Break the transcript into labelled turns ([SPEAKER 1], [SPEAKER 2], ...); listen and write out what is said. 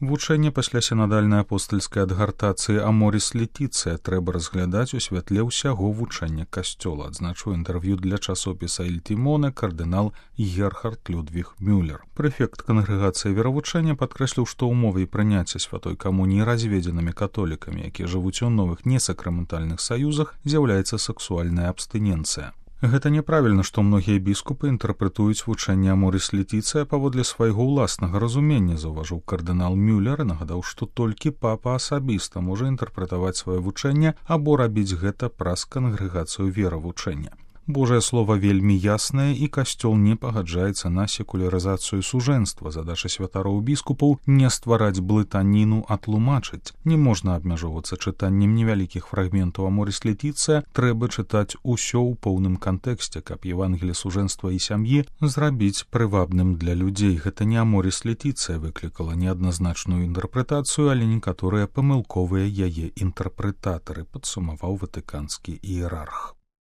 [SPEAKER 1] Вучэнне пасля сінадальнай апостальскай адгартацыі «Аморіс Летіцыя» трэба разглядаць у святле ўсяго вучэння касцёла, адзначыў інтэрв'ю для часопіса «Иль Тимоне» кардынал Герхард Людвіг Мюллер. Прэфект кангрэгацыі веравучэння падкрэсліў, што ўмовай прыняцця святой камуніі разведзенымі католікамі, якія жывуць у новых несакраментальных саюзах, з'яўляецца сексуальная абстыненцыя. Гэта няправільна, што многія біскупы інтэрпрэтуюць вучэнне «Аморіс Летіцыя» паводле свайго ўласнага разумення, заўважыў кардынал Мюллер і нагадаў, што толькі папа асабіста можа інтэрпрэтаваць сваё вучэнне або рабіць гэта праз кангрэгацыю веравучэння. Божае слова вельмі яснае, і касцёл не пагаджаецца на секулярызацыю сужэнства. Задача святароў біскупаў не ствараць блытаніну, а тлумачыць. Не можна абмяжоўвацца чытаннем невялікіх фрагментаў «Аморіс Летіцыя», трэба чытаць усё ў поўным кантэксце, каб Евангелле сужэнства і сям'і зрабіць прывабным для людзей. Гэта не «Аморіс Летіцыя» выклікала неадназначную інтэрпрэтацыю, але некаторыя памылковыя яе інтэрпрэтатары, падсумаваў ватыканскі іерарх.